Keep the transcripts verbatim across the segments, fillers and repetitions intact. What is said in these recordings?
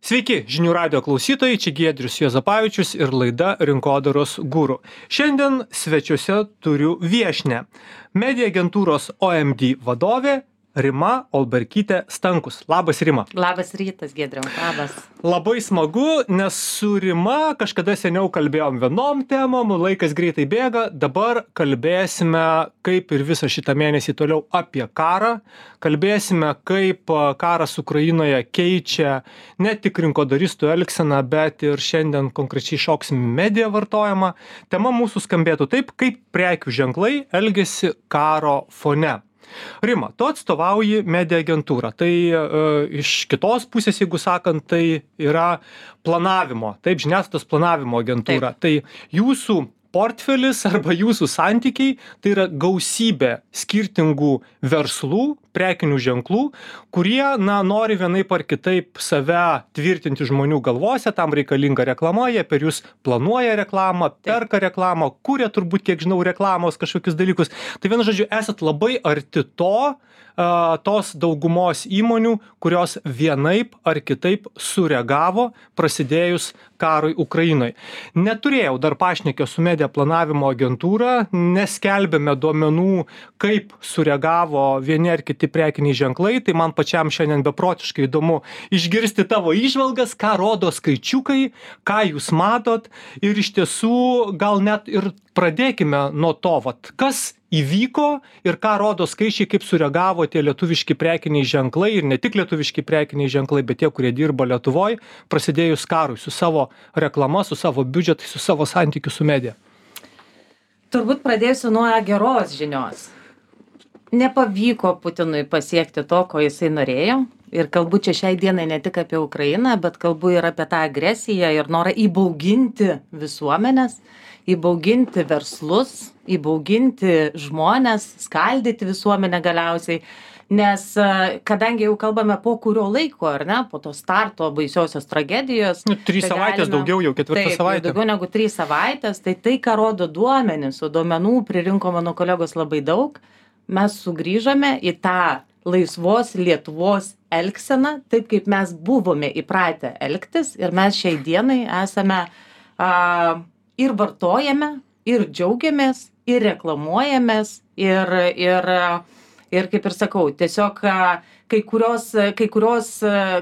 Sveiki, žinių radio klausytojai, čia Giedrius Juozapavičius ir laida Rinkodaros guru. Šiandien svečiuose turiu viešnią, media agentūros O M D vadovė Rima Olberkytė Stankus. Labas, Rima. Labas rytas, Giedriau. Labas. Labai smagu, nes su Rima kažkada seniau kalbėjom vienom temom, laikas greitai bėga, dabar kalbėsime, kaip ir visą šitą mėnesį toliau apie karą, kalbėsime, kaip karas Ukrainoje keičia ne tik rinkodaristų elgseną, bet ir šiandien konkrečiai šoksim media vartojimą. Tema mūsų skambėtų taip, kaip prekių ženklai elgiasi karo fone. Rima, tu atstovauji media agentūrą. Tai e, iš kitos pusės, jeigu sakant, tai yra planavimo, taip, žiniasklaidos planavimo agentūra. Taip. Tai jūsų portfelis arba jūsų santykiai, tai yra gausybė skirtingų verslų, prekinių ženklų, kurie, na, nori vienaip ar kitaip save tvirtinti žmonių galvose, tam reikalinga reklama, jie per jūs planuoja reklamą, perka reklamą, kuria turbūt, kiek žinau, reklamos kažkokius dalykus. Tai vienu žodžiu, esat labai arti to, tos daugumos įmonių, kurios vienaip ar kitaip sureagavo prasidėjus karui Ukrainoje. Neturėjau dar pašnekio su media planavimo agentūra, neskelbėme duomenų, kaip sureagavo vieni ar kiti prekiniai ženklai, tai man pačiam šiandien beprotiškai įdomu išgirsti tavo įžvalgas, ką rodo skaičiukai, ką jūs matot ir iš tiesų gal net ir pradėkime nuo to, vat, kas įvyko ir ką rodo skaičiai, kaip sureagavo tie lietuviški prekiniai ženklai ir ne tik lietuviški prekiniai ženklai, bet tie, kurie dirba Lietuvoj, prasidėjus karui su savo reklama, su savo biudžetai, su savo santykiu su media. Turbūt pradėsiu nuo geros žinios. Nepavyko Putinui pasiekti to, ko jisai norėjo. Ir kalbu čia šiai dienai ne tik apie Ukrainą, bet kalbu ir apie tą agresiją ir norą įbauginti visuomenės, įbauginti verslus, įbauginti žmonės, skaldyti visuomenę galiausiai. Nes kadangi jau kalbame po kurio laiko, ar ne, po to starto baisiosios tragedijos. Nu, trys tai savaitės galime, daugiau, jau ketvirtą taip, savaitę. Daugiau negu trys savaitės, tai tai, ką rodo duomenys, o duomenų pririnko mano kolegos labai daug, mes sugrįžome į tą laisvos Lietuvos elgseną, taip kaip mes buvome įpratę elgtis ir mes šiai dienai esame a, ir vartojame, ir džiaugiamės, ir reklamuojamės, ir, ir, ir kaip ir sakau, tiesiog kai kurios, kai kurios,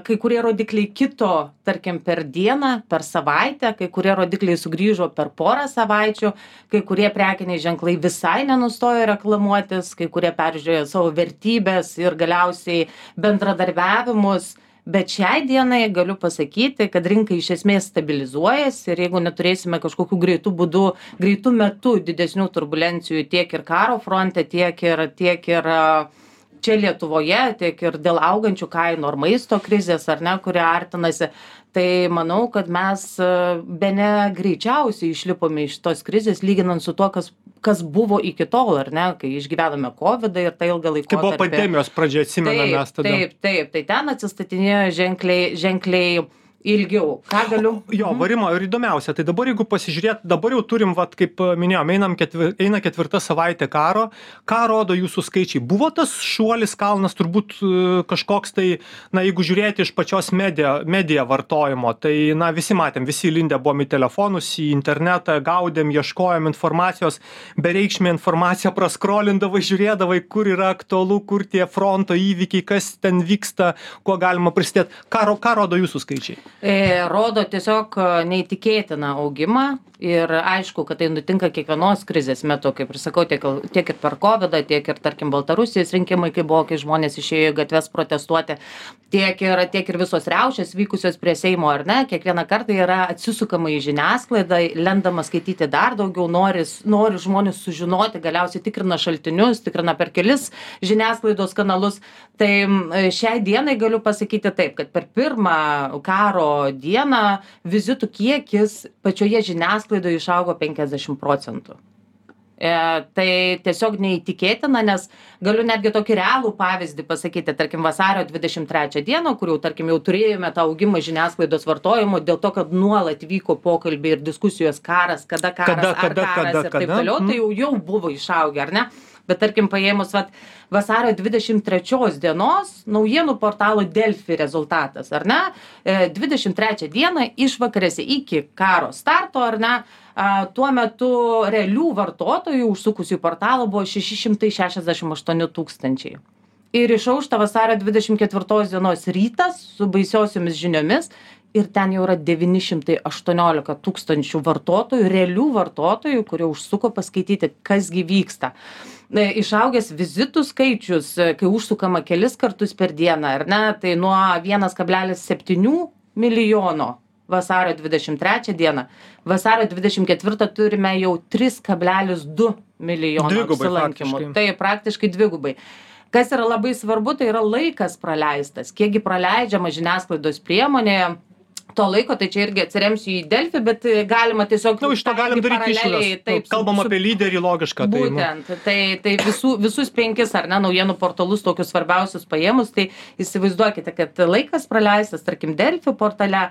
kai kurie rodikliai kito, tarkim, per dieną, per savaitę, kai kurie rodikliai sugrįžo per porą savaičių, kai kurie prekiniai ženklai visai nenustojo reklamuotis, kai kurie peržiūrėjo savo vertybės ir galiausiai bendradarbiavimus. Bet šiai dienai galiu pasakyti, kad rinka iš esmės stabilizuojasi ir jeigu neturėsime kažkokių greitų būdų, greitų metų didesnių turbulencijų tiek ir karo fronte, tiek ir, tiek ir čia Lietuvoje, tiek ir dėl augančių kainų ar maisto krizės, ar ne, kurie artinasi, tai manau, kad mes bene greičiausiai išlipome iš tos krizės, lyginant su to, kas, kas buvo iki tol, ar ne, kai išgyvenome kovidą ir tai ilgą laikotarpį. Kai buvo pandemijos pradžia, atsimename mes tada. Taip, taip, tai ten atsistatinėjo ženkliai, ženkliai ilgiau. Ką galiu? Jo, varimo ir įdomiausia. Tai dabar, jeigu pasižiūrėt, dabar jau turim, vat, kaip minėjom, einam ketvir, eina ketvirta savaitė karo. Ką rodo jūsų skaičiai? Buvo tas šuolis kalnas turbūt kažkoks tai, na, jeigu žiūrėti iš pačios media, media vartojimo, tai, na, visi matėm, visi lindę buvom į telefonus, į internetą, gaudėm, ieškojom informacijos, bereikšmė informacija praskrolindavai, žiūrėdavai, kur yra aktualu, kur tie fronto įvykiai, kas ten vyksta, kuo galima prisidėti. Ką, ką rodo jūsų skaičiai? Rodo tiesiog neįtikėtiną augimą ir aišku, kad tai nutinka kiekvienos krizės metu, kaip ir sakau, tiek, tiek ir per kovidą, tiek ir, tarkim, Baltarusijos rinkimai, kai buvo, kai žmonės išėjo į gatves protestuoti, tiek ir, tiek ir visos riaušės vykusios prie Seimo, ar ne, kiekvieną kartą yra atsisukama į žiniasklaidą, lendama skaityti dar daugiau, nori, nori žmonės sužinoti, galiausiai tikrina šaltinius, tikrina per kelis žiniasklaidos kanalus. Tai šiai dienai galiu pasakyti taip, kad per pirmą karo dieną vizitų kiekis pačioje žiniasklaidoje išaugo penkiasdešimt procentų. E, tai tiesiog neįtikėtina, nes galiu netgi tokį realų pavyzdį pasakyti, tarkim, vasario dvidešimt trečią dieną, kur jau, tarkim, jau turėjome tą augimą žiniasklaidos vartojimo, dėl to, kad nuolat vyko pokalbiai ir diskusijos karas, kada karas, kada, ar kada, karas kada, ir taip kada? toliau, tai jau, jau buvo išaugę, ar ne? bet tarkim paėmus vat vasario dvidešimt trečios dienos naujienų portalo Delfi rezultatas, ar ne? dvidešimt trečią dieną išvakarėse iki karo starto, ar ne? Tuo metu realių vartotojų užsukusių į portalą buvo šeši šimtai šešiasdešimt aštuoni tūkstančiai. Ir išaušta vasario dvidešimt ketvirtos dienos rytas su baisiosiomis žiniomis ir ten jau yra devyni šimtai aštuoniolika tūkstančių vartotojų, realių vartotojų, kurie užsuko paskaityti, kasgi vyksta. Išaugęs vizitų skaičius, kai užsukama kelis kartus per dieną, ar ne, tai nuo vienas kablelis septyni milijono vasario dvidešimt trečią dieną, vasario dvidešimt ketvirtą turime jau tris kablelis du milijono apsilankymų. Tai praktiškai dvigubai. Kas yra labai svarbu, tai yra laikas praleistas. Kiekgi praleidžiama žiniasklaidos priemonėje to laiko, tai čia irgi atsiremsiu į Delfi, bet galima tiesiog... Na, iš to galim daryti išvadas. Kalbam apie lyderį logišką. Būtent, tai, tai visų, visus penkis, ar ne, naujienų portalus, tokius svarbiausius paėmus, tai įsivaizduokite, kad laikas praleistas, tarkim, Delfi portale,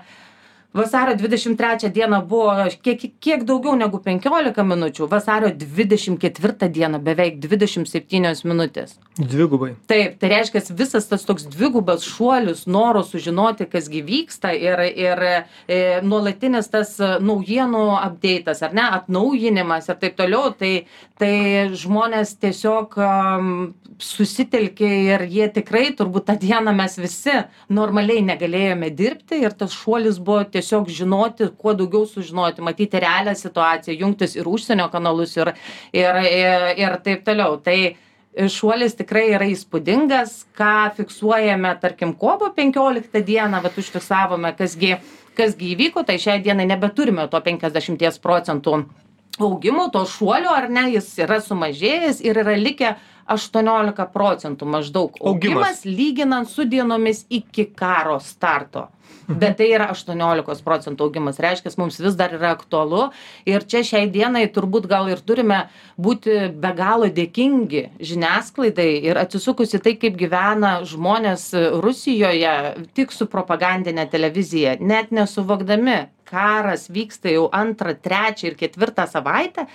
vasario dvidešimt trečią dieną buvo kiek, kiek daugiau negu penkiolika minučių, vasario dvidešimt ketvirtą dieną beveik dvidešimt septynios minutės. Dvigubai. Taip, tai reiškia visas tas toks dvigubas šuolis, noro sužinoti, kasgi vyksta ir, ir e, nuolatinis tas naujienų update'as, ar ne, atnaujinimas ir taip toliau, tai, tai žmonės tiesiog um, susitelkė ir jie tikrai, turbūt tą dieną mes visi normaliai negalėjome dirbti ir tas šuolis buvo tiesiog žinoti, kuo daugiau sužinoti, matyti realią situaciją, jungtis ir užsienio kanalus ir, ir, ir, ir taip toliau. Tai šuolis tikrai yra įspūdingas, ką fiksuojame, tarkim, kovo penkioliktą dieną, bet užfiksavome, kasgi, kasgi įvyko, tai šiai dienai nebeturime to penkiasdešimt procentų augimo, to šuolio, ar ne, jis yra sumažėjęs ir yra likę aštuoniolika procentų maždaug augimas, augimas lyginant su dienomis iki karo starto. Bet tai yra aštuoniolika procentų augimas, reiškia, mums vis dar yra aktualu ir čia šiai dienai turbūt gal ir turime būti be galo dėkingi žiniasklaidai ir atsisukus į tai, kaip gyvena žmonės Rusijoje tik su propagandinė televizija, net nesuvokdami, karas vyksta jau antrą, trečią ir ketvirtą savaitę,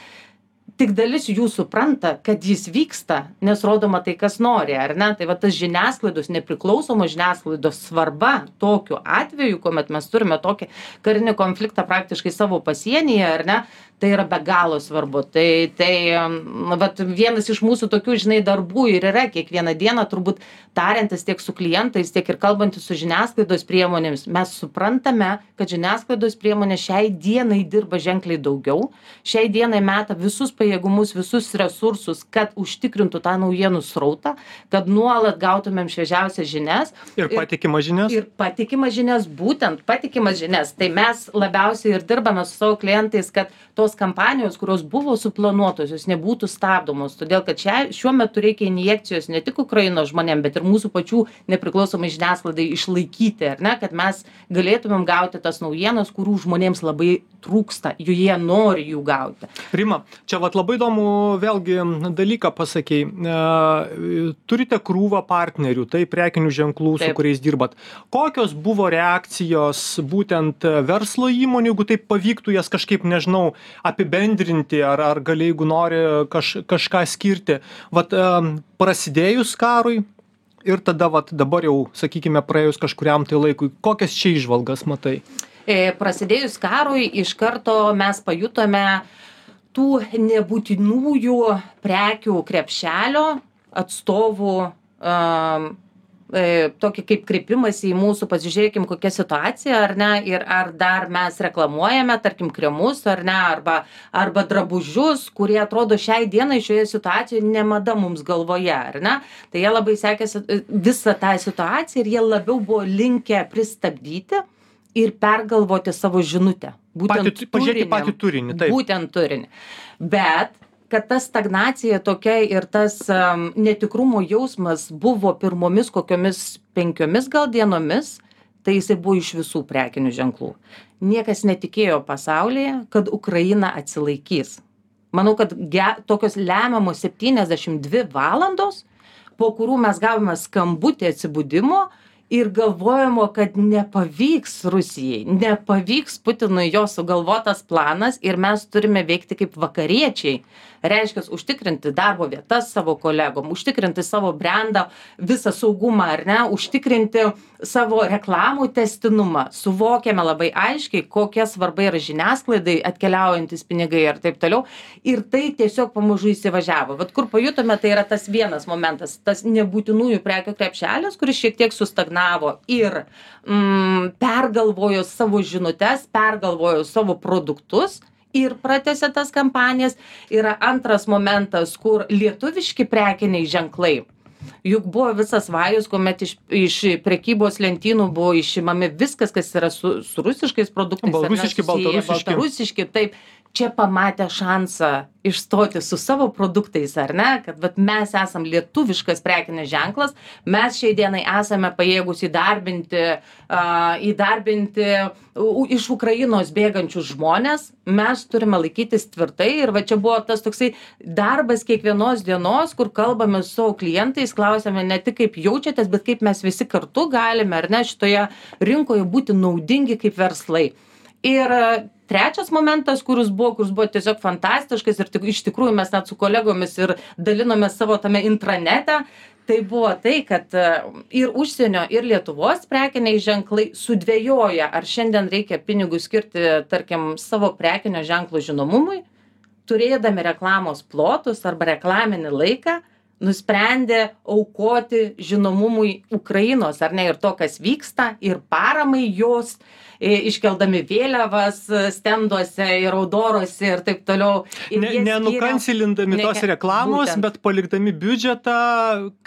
tik dalis jų supranta, kad jis vyksta, nes rodoma tai, kas nori, ar ne? Tai va tas žiniasklaidos, nepriklausomos žiniasklaidos svarba tokiu atveju, kuomet mes turime tokį karinį konfliktą praktiškai savo pasienyje, ar ne? Tai yra be galo svarbu. Tai, tai vat, vienas iš mūsų tokių, žinai, darbų ir yra kiekvieną dieną, turbūt tariantis tiek su klientais, tiek ir kalbantis su žiniasklaidos priemonėmis. Mes suprantame, kad žiniasklaidos priemonės šiai dienai dirba ženkliai daugiau, šiai dienai meta visus pajėgumus, visus resursus, kad užtikrintų tą naujienų srautą, kad nuolat gautumėm šviežiausias žinias. Ir patikimas žinias. Ir patikimas žinias, būtent patikimas žinias. Tai mes labiausiai ir dirbame su savo klientais, kad tos kampanijos, kurios buvo suplanuotos, jos nebūtų stabdomos, todėl kad čia, šiuo metu reikia injekcijos ne tik Ukrainos žmonėm, bet ir mūsų pačių nepriklausomai žiniasklaidai išlaikyti, ar ne, kad mes galėtumėm gauti tas naujienas, kurių žmonėms labai trūksta, jų jie nori jų gauti. Rima, čia vat labai įdomu vėlgi dalyką pasakei. E, turite krūvą partnerių, tai prekinių ženklų, Taip. Su kuriais dirbat. Kokios buvo reakcijos būtent verslo įmonių, jeigu taip pavyktų jas kažkaip, nežinau, apibendrinti, ar, ar gali, jeigu nori kaž, kažką skirti. Vat um, prasidėjus karui ir tada vat, dabar jau, sakykime, praėjus kažkuriam tai laikui, kokias čia įžvalgas matai? E, prasidėjus karui iš karto mes pajutome tų nebūtinųjų prekių krepšelio atstovų um, tokį kaip kreipimąsi į mūsų, pasižiūrėkim, kokia situacija, ar ne, ir ar dar mes reklamuojame, tarkim, kremus, ar ne, arba, arba drabužius, kurie atrodo šiai dienai šioje situacijoje nemada mums galvoje, ar ne. Tai jie labai sekėsi visą tą situaciją ir jie labiau buvo linkę pristabdyti ir pergalvoti savo žinutę. Būtent patį, pažiūrėti patį turinį. Taip. Būtent turinį. Bet kad ta stagnacija tokia ir tas um, netikrumo jausmas buvo pirmomis kokiomis penkiomis gal dienomis, tai jisai buvo iš visų prekinių ženklų. Niekas netikėjo pasaulyje, kad Ukraina atsilaikys. Manau, kad ge, tokios lemiamos septyniasdešimt dvi valandos, po kurių mes gavome skambutį atsibudimo ir galvojamo, kad nepavyks Rusijai, nepavyks Putinui jo sugalvotas planas ir mes turime veikti kaip vakariečiai. Reiškia, užtikrinti darbo vietas savo kolegom, užtikrinti savo brandą, visą saugumą, ar ne, užtikrinti savo reklamų testinumą. Suvokiame labai aiškiai, kokia svarba yra žiniasklaidai atkeliaujantis pinigai ir taip toliau. Ir tai tiesiog pamažu įsivažiavo. Vat kur pajutome, tai yra tas vienas momentas, tas nebūtinųjų prekių krepšelis, kuris šiek tiek sustagnavo ir mm, pergalvojo savo žinutes, pergalvojo savo produktus ir pratęsė tas kampanijas. Yra antras momentas, kur lietuviški prekiniai ženklai. Juk buvo visas vajus, kuomet iš, iš prekybos lentynų buvo išimami viskas, kas yra su, su rusiškais produktais. Baltarusiški, baltarusiški. Baltarusiški, taip. Čia pamatė šansą išstoti su savo produktais, ar ne, kad vat, mes esam lietuviškas prekinis ženklas, mes šiai dienai esame pajėgus įdarbinti, uh, įdarbinti uh, iš Ukrainos bėgančius žmonės, mes turime laikytis tvirtai ir va čia buvo tas toksai darbas kiekvienos dienos, kur kalbame su savo klientais, klausėme ne tik kaip jaučiatės, bet kaip mes visi kartu galime, ar ne, šitoje rinkoje būti naudingi kaip verslai. Ir trečias momentas, kuris buvo, kuris buvo tiesiog fantastiškas ir tik, iš tikrųjų mes net su kolegomis ir dalinomės savo tame intranete, tai buvo tai, kad ir užsienio, ir Lietuvos prekiniai ženklai sudvejoja, ar šiandien reikia pinigų skirti, tarkim, savo prekinio ženklo žinomumui, turėdami reklamos plotus arba reklaminį laiką, nusprendė aukoti žinomumui Ukrainos, ar ne, ir to, kas vyksta, ir paramai jos, iškeldami vėliavas stenduose ir audoruose ir taip toliau. Ir ne, nenukansilindami ne, tos reklamos, būtent. Bet palikdami biudžetą,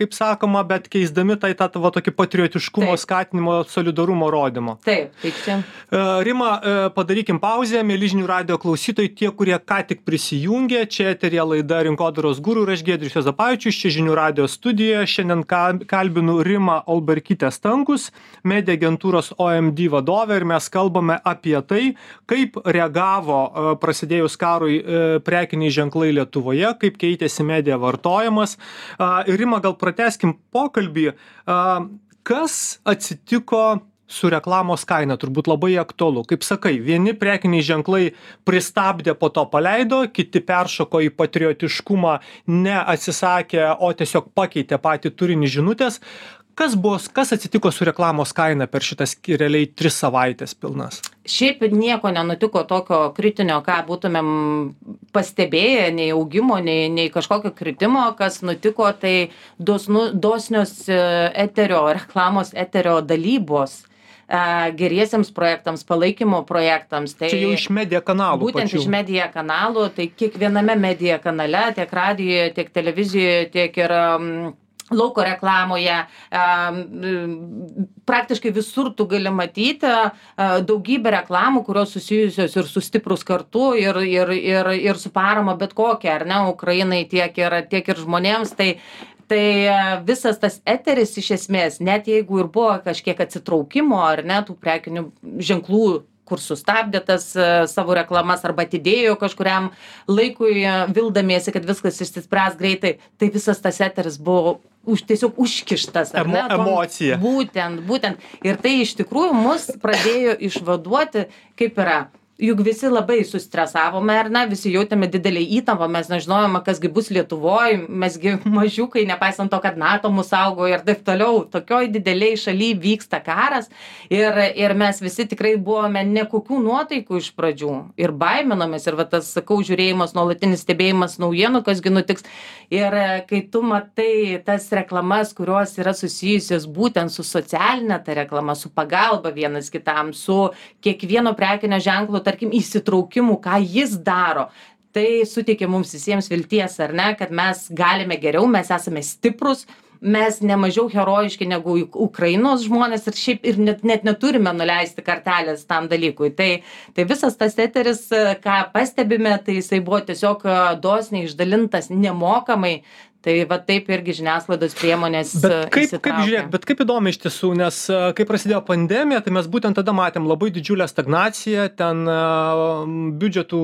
kaip sakoma, bet keisdami tai tą tavo tokį patriotiškumo taip. Skatinimo, solidarumo rodymo. Taip, taip čia. Rima, padarykim pauzę, mėly žinių radijo klausytojai, tie, kurie ką tik prisijungė, čia eteryje laida Rinkodaros guru ir aš Giedrius Juozapavičius, čia žinių radijo studijoje, šiandien kalbinu Rimą Olberkytę Stankus, media agentūros O M D vadovę ir mes kalbame apie tai, kaip reagavo prasidėjus karui prekiniai ženklai Lietuvoje, kaip keitėsi medija vartojimas. Ir Rima, gal pratęskim pokalbį, kas atsitiko su reklamos kaina, turbūt labai aktualu. Kaip sakai, vieni prekiniai ženklai pristabdė, po to paleido, kiti peršoko į patriotiškumą, neatsisakė, o tiesiog pakeitė patį turinį žinutės. Kas buvo, kas atsitiko su reklamos kaina per šitas realiai tris savaitės pilnas? Šiaip nieko nenutiko tokio kritinio, ką būtumėm pastebėję, nei augimo, nei, nei kažkokio kritimo, kas nutiko, tai dosnu, dosnios eterio, reklamos eterio dalybos geriesiems projektams, palaikymo projektams. Tai čia jau iš media kanalų. Būtent pačių. Iš media kanalų, tai kiekviename media kanale, tiek radijoje, tiek televizijoje, tiek ir um, lauko reklamoje, praktiškai visur tu gali matyti daugybę reklamų, kurios susijusios ir su stiprus kartu, ir, ir, ir, ir su parama bet kokia, ar ne, Ukrainai tiek ir, tiek ir žmonėms. Tai, tai visas tas eteris iš esmės, net jeigu ir buvo kažkiek atsitraukimo, ar ne, tų prekinių ženklų, kur sustabdė tas savo reklamas arba atidėjo kažkuriam laikui, vildamiesi, kad viskas išsispręs greitai, tai visas tas eteris buvo už, tiesiog užkištas. Ar Emo, ne? Tom, emocija. Būtent, būtent. Ir tai iš tikrųjų mus pradėjo išvaduoti, kaip yra. Juk visi labai sustresavome, ar ne, visi jautėme didelį įtampą, mes nežinojome, kasgi bus Lietuvoje, mesgi mažiukai, nepaisant to, kad NATO mus saugo ir taip toliau, tokioj dideliai šalyje vyksta karas ir, ir mes visi tikrai buvome nekokių nuotaikų iš pradžių ir baiminomės ir va tas, sakau, žiūrėjimas, nuolatinis stebėjimas naujienų, kasgi nutiks. Ir kai tu matai tas reklamas, kurios yra susijusios būtent su socialinė ta reklama, su pagalba vienas kitam, su kiekvieno prekinio ženklo, tarkim, įsitraukimų, ką jis daro, tai suteikia mums visiems vilties, ar ne, kad mes galime geriau, mes esame stiprus, mes nemažiau herojiški negu Ukrainos žmonės ir šiaip ir net, net neturime nuleisti kartelės tam dalykui. Tai, tai visas tas eteris, ką pastebime, tai jisai buvo tiesiog dosniai išdalintas nemokamai Tai va taip irgi žiniasklaidos priemonės Bet kaip, kaip įsitraukia. žiūrėk, bet kaip įdomu iš tiesų, nes a, kai prasidėjo pandemija, tai mes būtent tada matėm labai didžiulę stagnaciją, ten a, biudžetų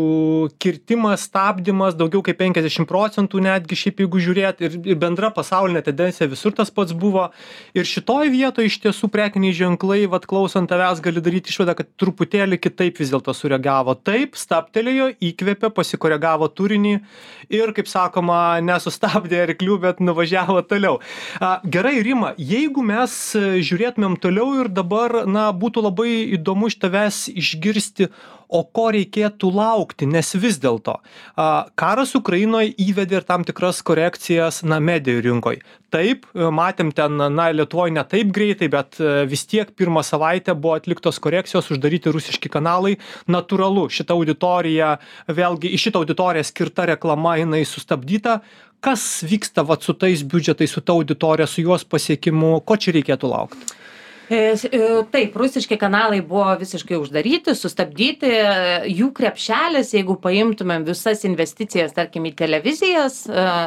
kirtimas, stabdymas, daugiau kaip penkiasdešimt procentų netgi šiaip jeigu žiūrėt, ir, ir bendra pasaulinė tendencija visur tas pats buvo. Ir šitoj vietoje iš tiesų prekiniai ženklai, vat klausant tavęs, gali daryti išvadą, kad truputėlį kitaip vis dėlto sureagavo. Taip, stabtelėjo, įkvėpė, pasikoregavo turinį ir, kaip sakoma, nesustabdė arklių, bet nuvažiavo toliau. A, gerai, Rima, jeigu mes žiūrėtumėm toliau ir dabar, na, būtų labai įdomu iš tavęs išgirsti, o ko reikėtų laukti, nes vis dėlto a, karas Ukrainoje įvedė ir tam tikras korekcijas, na, medijų rinkoje. Taip, matėm ten, na, Lietuvoje ne taip greitai, bet vis tiek pirmą savaitę buvo atliktos korekcijos, uždaryti rusiški kanalai. Natūralu, šita auditorija, vėlgi, iš šitą auditoriją skirta reklama, jinai sustabdyta. Kas vyksta vat su tais biudžetais, su ta auditorija, su juos pasiekimu, ko čia reikėtų laukti? Taip, rusiški kanalai buvo visiškai uždaryti, sustabdyti. Jų krepšelis, jeigu paimtumėm visas investicijas, tarkim, į televizijas,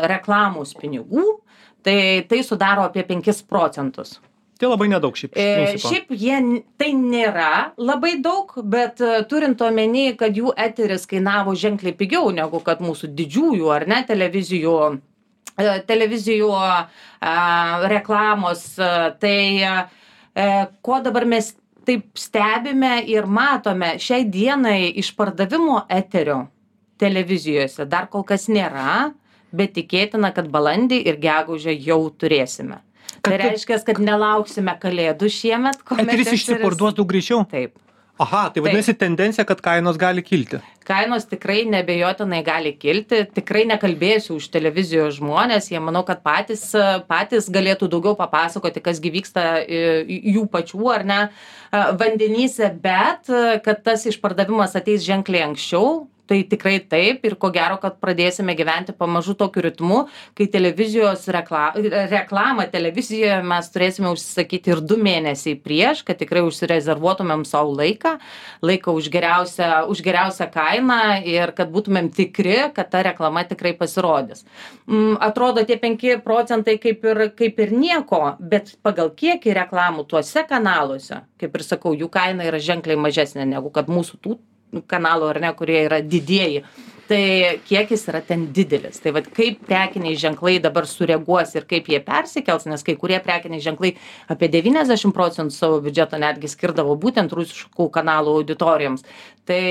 reklamos pinigų, tai tai sudaro apie penkis procentus. Tai labai nedaug šiaip. E, šiaip jie, tai nėra labai daug, bet turint omeny, kad jų eteris kainavo ženkliai pigiau negu kad mūsų didžiųjų ar ne televizijų, televizijų a, reklamos, tai a, ko dabar mes taip stebime ir matome, šiai dienai išpardavimo eterio televizijose dar kol kas nėra, bet tikėtina, kad balandį ir gegužę jau turėsime. Tai reiškia, kad nelauksime kalėdų šiemet. Eteris išsiparduos daug greičiau? Taip. Aha, tai vadinasi tendencija, kad kainos gali kilti. Kainos tikrai nebejotinai gali kilti. Tikrai nekalbėsiu už televizijos žmonės. Jie manau, kad patys, patys galėtų daugiau papasakoti, kas gi vyksta jų pačių ar ne vandenyse, bet kad tas išpardavimas ateis ženkliai anksčiau. Tai tikrai taip ir ko gero, kad pradėsime gyventi pamažu tokiu ritmu, kai televizijos rekla, reklamą televizijoje mes turėsime užsisakyti ir du mėnesiai prieš, kad tikrai užsirezervuotumėm savo laiką, laiką už geriausią, už geriausią kainą ir kad būtumėm tikri, kad ta reklama tikrai pasirodys. Atrodo, tie penki procentai kaip ir, kaip ir nieko, bet pagal kiekį reklamų tuose kanaluose, kaip ir sakau, jų kaina yra ženkliai mažesnė negu kad mūsų tų kanalų ar ne, kurie yra didieji. Tai kiekis yra ten didelis. Tai vat kaip prekiniai ženklai dabar sureaguos ir kaip jie persikels, nes kai kurie prekiniai ženklai apie devyniasdešimt procentų savo biudžeto netgi skirdavo būtent rusiškų kanalų auditorijoms. Tai,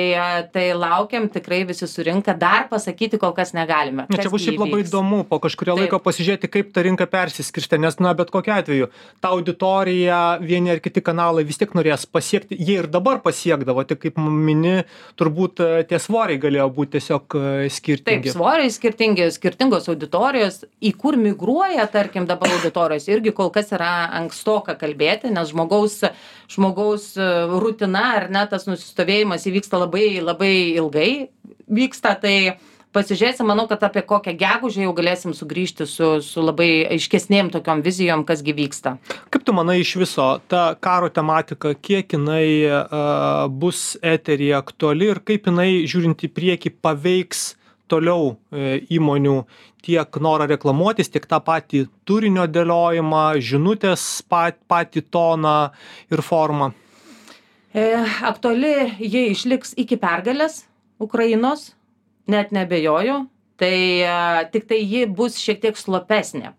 tai laukiam, tikrai visi surinka, dar pasakyti kol kas negalime. Čia bus šiaip labai įdomu po kažkurio Taip. laiko pasižiūrėti, kaip ta rinka persiskirstė, nes, na, bet kokiu atveju, ta auditorija, vieni ar kiti kanalai vis tiek norės pasiekti, jie ir dabar pasiekdavo, tik kaip mini, turbūt tie svoriai galėjo būti tiesiog skirtingi. Taip, svoriai skirtingi, skirtingos auditorijos, į kur migruoja, tarkim, dabar auditorijos, irgi kol kas yra ankstoka kalbėti, nes žmogaus, žmogaus rutina ar ne, tas nusistovėjimas įvyksta labai, labai ilgai vyksta, tai pasižiūrėsim, manau, kad apie kokią gegužę jau galėsim sugrįžti su, su labai aiškesnėm tokiom vizijom, kas gi vyksta. Kaip tu manai iš viso, ta karo tematika, kiek jinai uh, bus eteryje aktuali ir kaip jinai, žiūrint į priekį, paveiks toliau e, įmonių tiek norą reklamuotis, tiek tą patį turinio dėliojimą, žinutės pat, patį toną ir formą? E, aktuali jie išliks iki pergalės Ukrainos, net nebejoju, tai e, tik tai ji bus šiek tiek slopesnė.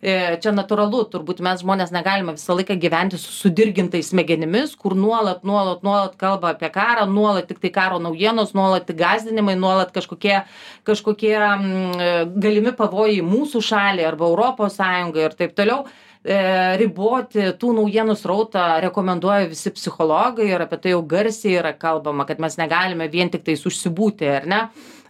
E, čia natūralu, turbūt mes žmonės negalime visą laiką gyventi su sudirgintais smegenimis, kur nuolat, nuolat, nuolat kalba apie karą, nuolat tik tai karo naujienos, nuolat gąsdinimai, nuolat kažkokie, kažkokie mm, galimi pavojai mūsų šaliai arba Europos Sąjungai ir taip toliau. E, riboti tų naujienų srautą rekomenduoja visi psichologai ir apie tai jau garsiai yra kalbama, kad mes negalime vien tik tais užsibūti, ar ne,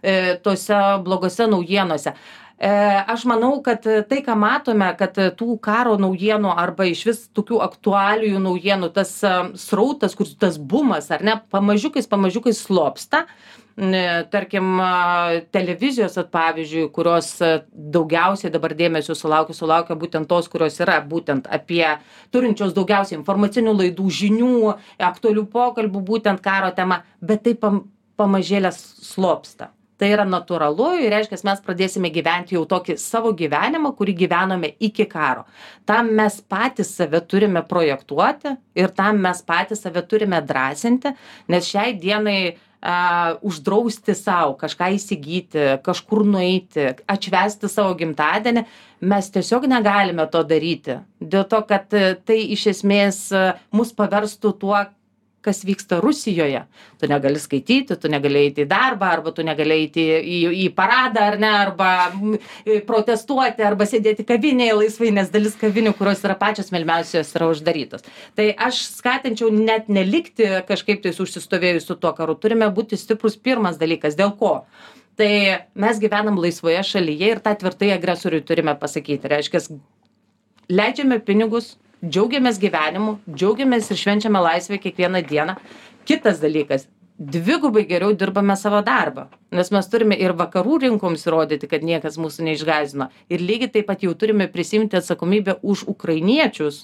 e, tose blogose naujienose. E, aš manau, kad tai, ką matome, kad tų karo naujienų arba iš vis tokių aktualijų naujienų, tas srautas, kur tas bumas, ar ne, pamažiukais, pamažiukais slopsta. Tarkim, televizijos, pavyzdžiui, kurios daugiausiai dabar dėmesio sulaukia, sulaukia būtent tos, kurios yra būtent apie turinčios daugiausiai informacinių laidų, žinių, aktualių pokalbių, būtent karo tema, bet tai pam, pamažėlės slopsta. Tai yra natūralu ir reiškia, mes pradėsime gyventi jau tokį savo gyvenimą, kurį gyvenome iki karo. Tam mes patys save turime projektuoti ir tam mes patys save turime drąsinti, nes šiai dienai uh, uždrausti savo kažką įsigyti, kažkur nueiti, atšvęsti savo gimtadienį, mes tiesiog negalime to daryti. Dėl to, kad tai iš esmės mus paverstų tuo, kas vyksta Rusijoje. Tu negali skaityti, tu negali eiti į darbą, arba tu negali eiti į, į paradą, ar ne, arba protestuoti, arba sėdėti kavinėje laisvai, nes dalis kavinių, kurios yra pačios melmiausios, yra uždarytos. Tai aš skatinčiau net nelikti kažkaip tais užsistovėjus su tuo karu. Turime būti stiprus pirmas dalykas. Dėl ko? Tai mes gyvenam laisvoje šalyje ir tą tvirtai agresoriui turime pasakyti. Reiškia, leidžiame pinigus, džiaugiamės gyvenimu, džiaugiamės ir švenčiame laisvę kiekvieną dieną. Kitas dalykas, dvigubai geriau dirbame savo darbą, nes mes turime ir vakarų rinkoms įrodyti, kad niekas mūsų neišgąsdino. Ir lygiai taip pat jau turime prisimti atsakomybę už ukrainiečius,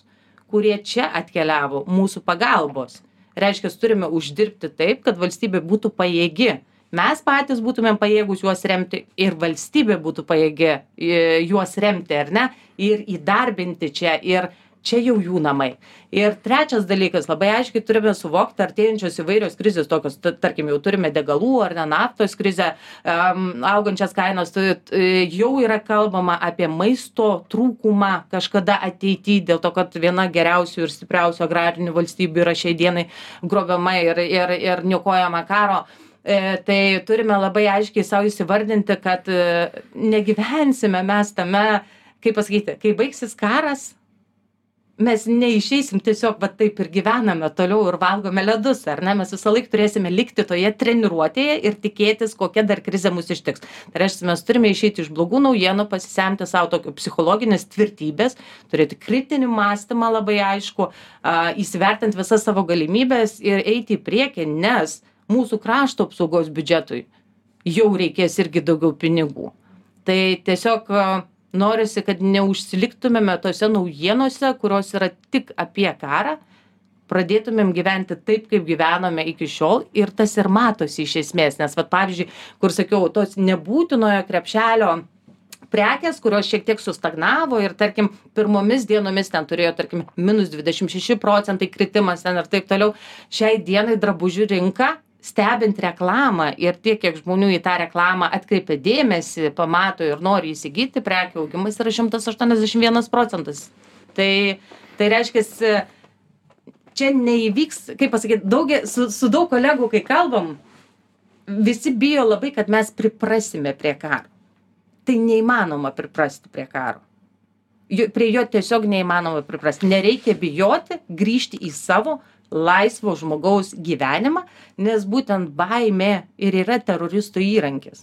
kurie čia atkeliavo mūsų pagalbos. Reiškia, turime uždirbti taip, kad valstybė būtų pajėgi. Mes patys būtumėm pajėgus juos remti ir valstybė būtų pajėgi juos remti, ar ne? Ir įdarbinti čia. Ir čia jau jų namai. Ir trečias dalykas, labai aiškiai turime suvokti artėjančios įvairios krizės, tokios, tarkim, jau turime degalų ar ne naftos krizę, um, augančias kainos, tai jau yra kalbama apie maisto trūkumą kažkada ateityje, dėl to, kad viena geriausių ir stipriausių agrarinių valstybių yra šiai dienai grobiama ir, ir, ir niokojama karo. E, tai turime labai aiškiai savo įsivardinti, kad e, negyvensime mes tame, kaip pasakyti, kai baigsis karas, mes neišeisim tiesiog, va taip ir gyvename toliau ir valgome ledus, ar ne? Mes visą laiką turėsime likti toje treniruotėje ir tikėtis, kokia dar krizė mus ištiks. Tai reiškia, mes turime išeiti iš blogų naujienų, pasisemti savo tokio psichologinės tvirtybės, turėti kritinį mąstymą labai aišku, įsivertinti visas savo galimybės ir eiti į priekį, nes mūsų krašto apsaugos biudžetui jau reikės irgi daugiau pinigų. Tai tiesiog norisi, kad neužsiliktumėme tose naujienose, kurios yra tik apie karą, pradėtumėm gyventi taip, kaip gyvenome iki šiol ir tas ir matosi iš esmės. Nes, vat, pavyzdžiui, kur sakiau, tos nebūtinojo krepšelio prekės, kurios šiek tiek sustagnavo ir, tarkim, pirmomis dienomis ten turėjo, tarkim, minus dvidešimt šeši procentai kritimas ten ir taip toliau. Šiai dienai drabužių rinka, stebint reklamą ir tiek, kiek žmonių į tą reklamą atkreipia dėmesį, pamato ir nori įsigyti, prekių augimas yra šimtas aštuoniasdešimt vienas procentas. Tai, tai reiškia, čia neįvyks, kaip pasakyti, daugia, su, su daug kolegų, kai kalbam, visi bijo labai, kad mes priprasime prie karo. Tai neįmanoma priprasti prie karo. Jo, prie jo tiesiog neįmanoma priprasti. Nereikia bijoti grįžti į savo laisvo žmogaus gyvenimą, nes būtent baimė ir yra teroristų įrankis.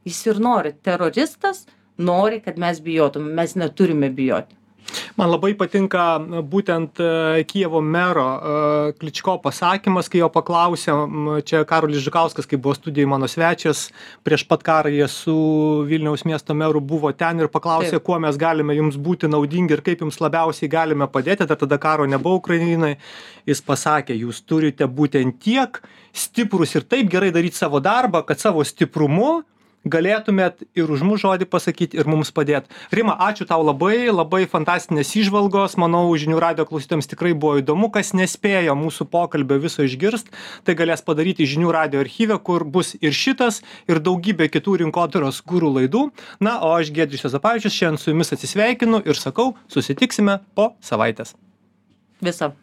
Jis ir nori. Teroristas nori, kad mes bijotume. Mes neturime bijoti. Man labai patinka būtent Kijevo mero Kličko pasakymas, kai jo paklausė, čia Karolis Žukauskas, kai buvo studijai mano svečias, prieš pat karą jie su Vilniaus miesto meru buvo ten ir paklausė, Taip. Kuo mes galime jums būti naudingi ir kaip jums labiausiai galime padėti, dar tada karo nebuvo Ukrainai. Jis pasakė, jūs turite būtent tiek stiprus ir taip gerai daryti savo darbą, kad savo stiprumu galėtumėt ir už mūsų žodį pasakyti ir mums padėti. Rima, ačiū tau labai, labai fantastinės įžvalgos, manau, žinių radijo klausytams tikrai buvo įdomu, kas nespėjo mūsų pokalbio viso išgirst, tai galės padaryti žinių radijo archyve, kur bus ir šitas, ir daugybė kitų rinkodaros guru laidų. Na, o aš Giedrius Juozapavičius šiandien su jumis atsisveikinu ir sakau, susitiksime po savaitės. Viso.